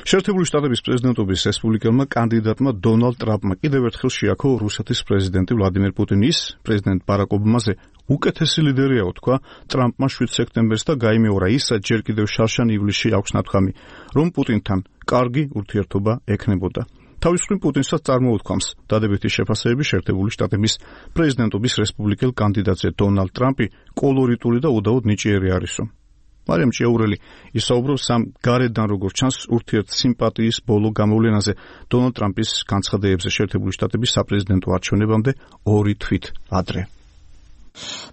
შეერთებული შტატების პრეზიდენტობის რესპუბლიკელმა კანდიდატმა დონალდ ტრამპმა კიდევ ერთხელ შეაქო რუსეთის პრეზიდენტი ვლადიმერ პუტინის პრეზიდენტ ბარაკ ობამაზე უკეთესი ლიდერიაო თქვა ტრამპმა 7 სექტემბერს და გაიმეორა ის, რაც ჯერ კიდევ შარშან ივლისში აქვს ნათქვამი, რომ პუტინთან კარგი ურთიერთობა ექნებოდა. თავის მხრივ პუტინსაც წარმოუთქვამს დადებითი შეფასებები შეერთებული შტატების პრეზიდენტობის რესპუბლიკელ კანდიდატზე დონალდ ტრამპი კოლორიტული და უდაოდ ნიჭიერი არისო. მარიამ ჭიაურელი ისაუბრებს ამ გარედან როგორც ჩანს ურთიერთსიმპათიის ბოლო გამოვლენაზე დონალდ ტრამპის განცხადებებზე შეერთებული შტატების საპრეზიდენტო არჩევნებამდე 2 თვით ადრე.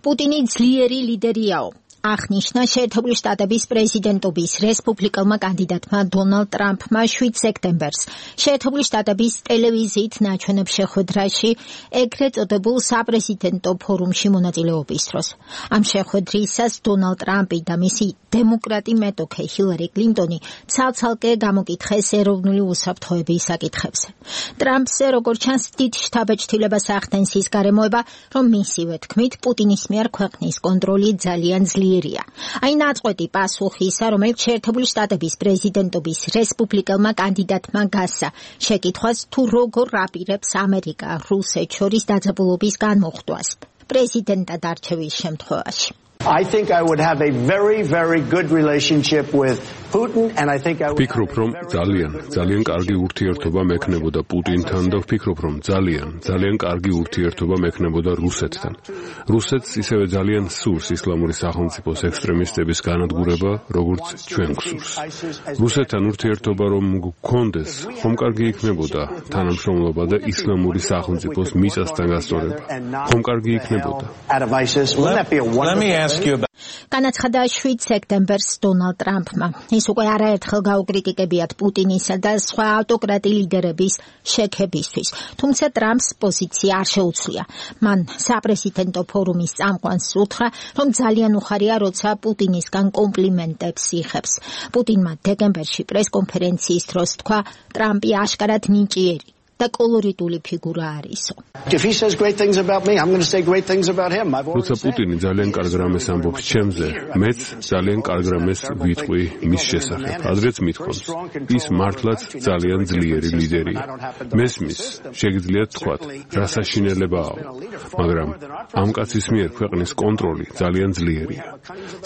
პუტინი ძლიერი ლიდერიაო. აღნიშნა შეერთებული შტატების პრეზიდენტობის რესპუბლიკელმა კანდიდატმა დონალდ ტრამპმა 7 სექტემბერს შეერთებული შტატების ტელევიზიით ნაჩვენებ შეხვედრაში ეგრეთ წოდებულ საპრეზიდენტო ფორუმში მონაწილეობის დროს. ამ შეხვედრისას დონალდ ტრამპი და მისი დემოკრატი მეტოქე ჰილარი კლინტონი ცალ-ცალკე გამოკითხეს ეროვნული უსაფრთხოების საკითხებზე. ტრამპზე როგორც ჩანს დიდ შთაბეჭდილებას ახდენს ის გარემოება, რომ მისივე თქმით პუტინის მიერ ქვეყნის კონტროლი ძალიან ძლიერია. აი ნაწყვეტი პასუხისა, რომელიც შეერთებული შტატების პრეზიდენტობის რესპუბლიკელმა კანდიდატმა გასცა შეკითხვას, თუ როგორ აპირებს ამერიკა რუსეთს შორის დაძაბულობის განმოხტვას პრეზიდენტად არჩევის შემთხვევაში. I think I would have a very, very good relationship with Putin, and I think I would ვფიქრობ, რომ ძალიან კარგი ურთიერთობა მექნებოდა პუტინთან და ვფიქრობ, რომ ძალიან კარგი ურთიერთობა მექნებოდა რუსეთთან. რუსეთს ისევე ძალიან სურს ისლამური სახელმწიფოს ექსტრემისტების განადგურება, როგორც ჩვენ გვსურს. რუსეთთან ურთიერთობა რომ გქონდეს, ხომ კარგი იქნებოდა თანამშრომლობა და ისლამური სახელმწიფოს მიწასთან გასწორება. ხომ კარგი იქნებოდა. განაცხადა 7 სექტემბერს დონალდ ტრამპმა. ის უკვე არაერთხელ გაუკრიტიკებიათ პუტინისა და სხვა ავტოკრატი ლიდერების შექებისთვის. თუმცა ტრამპს პოზიცია არ შეუცვლია. მან საპრეზიდენტო ფორუმის წამყვანს უთხრა, რომ ძალიან უხარია, როცა პუტინისგან კომპლიმენტებს იღებს. პუტინმა დეკემბერში პრესკონფერენციის დროს თქვა, ტრამპი აშკარად ნიჭიერი და კოლორიტული ფიგურა არისო. როცა პუტინი ძალიან კარგ რამეს ამბობს ჩემზე, მეც ძალიან კარგ რამეს ვიტყვი მის შესახებ. ადრეც მithქვამს, ის მართლაც ძალიან ძლიერი ლიდერია. მესმის, შეგიძლიათ თქვათ, რა საშინელებაა, მაგრამ ამ კაცის მიერ ქვეყნის კონტროლი ძალიან ძლიერია.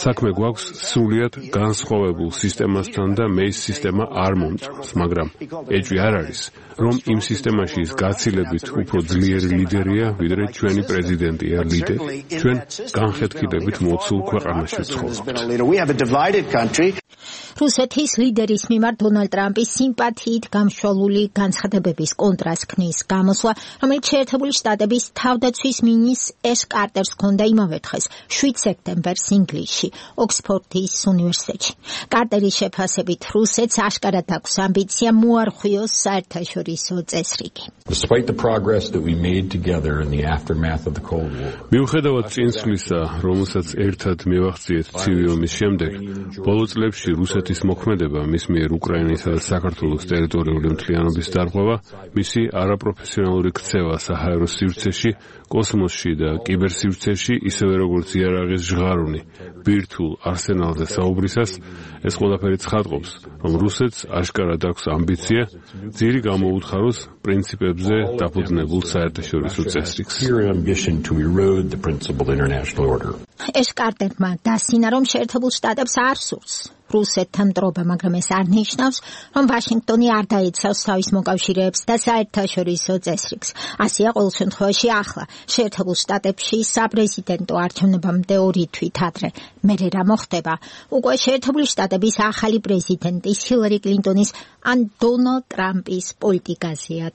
საქმე გვაქვს სრულიად განსხვავებულ სისტემასთან და მე ის სისტემა არ მომწონს, მაგრამ ეჭვი არ არის, რომ იმ სისტემაში ის გაცილებით უფრო ძლიერი ლიდერია, ვიდრე ჩვენი პრეზიდენტი არ ლიდერი. ჩვენ განხეთქილებით მოცულ ქვეყანაში ვცხოვრობთ. რუსეთის ლიდერის მიმართ დონალდ ტრამპის სიმპათიით გამშვალული განცხადებების კონტრასტს ქმნის გამოსვლა, რომელიც შეერთებული შტატების თავდაცვის მინისტრ ეშ კარტერს ჰქონდა იმავე დღეს, 7 სექტემბერს ინგლისში, ოქსფორდის უნივერსიტეტში. კარტერის შეფასებით რუსეთს აშკარად აქვს ამბიცია მოარღვიოს საერთაშორისო წესრიგი. მიუხედავად წინსვლისა, რომელსაც ერთად მივახციეთ ცივი ომის შემდეგ, ბოლო წლებში რუსეთის მოქმედება მის მიერ უკრაინისა და საქართველოს ტერიტორიული მთლიანობის დარღვევა, მისი არაპროფესიონალური ქცევა საჰაერო სივრცეში, კოსმოსში და კიბერსივრცეში, ისევე როგორც იარაღის ჟღარუნი ბირთვულ არსენალზე საუბრისას, ეს ყველაფერი ცხადყოფს, რომ რუსეთს აშკარად აქვს ამბიცია ძირი გამოუთხაროს პრინციპებზე დაფუძნებულ საერთაშორისო წესრიგს. ეშ კარტერმა დასინა, რომ შეერთებულ შტატებს არ სურს რუსეთთან მტრობა, მაგრამ ეს არ ნიშნავს, რომ ვაშინგტონი არ დაიცავს თავის მოკავშირეებს და საერთაშორისო წესრიგს. ასეა ყოველ შემთხვევაში ახლა შეერთებულ შტატებში საპრეზიდენტო არჩევნებამდე 2 თვით ადრე. მერე რა მოხდება? უკვე შეერთებული შტატების ახალი პრეზიდენტის ჰილარი კლინტონის ან დონალდ ტრამპის პოლიტიკაზეა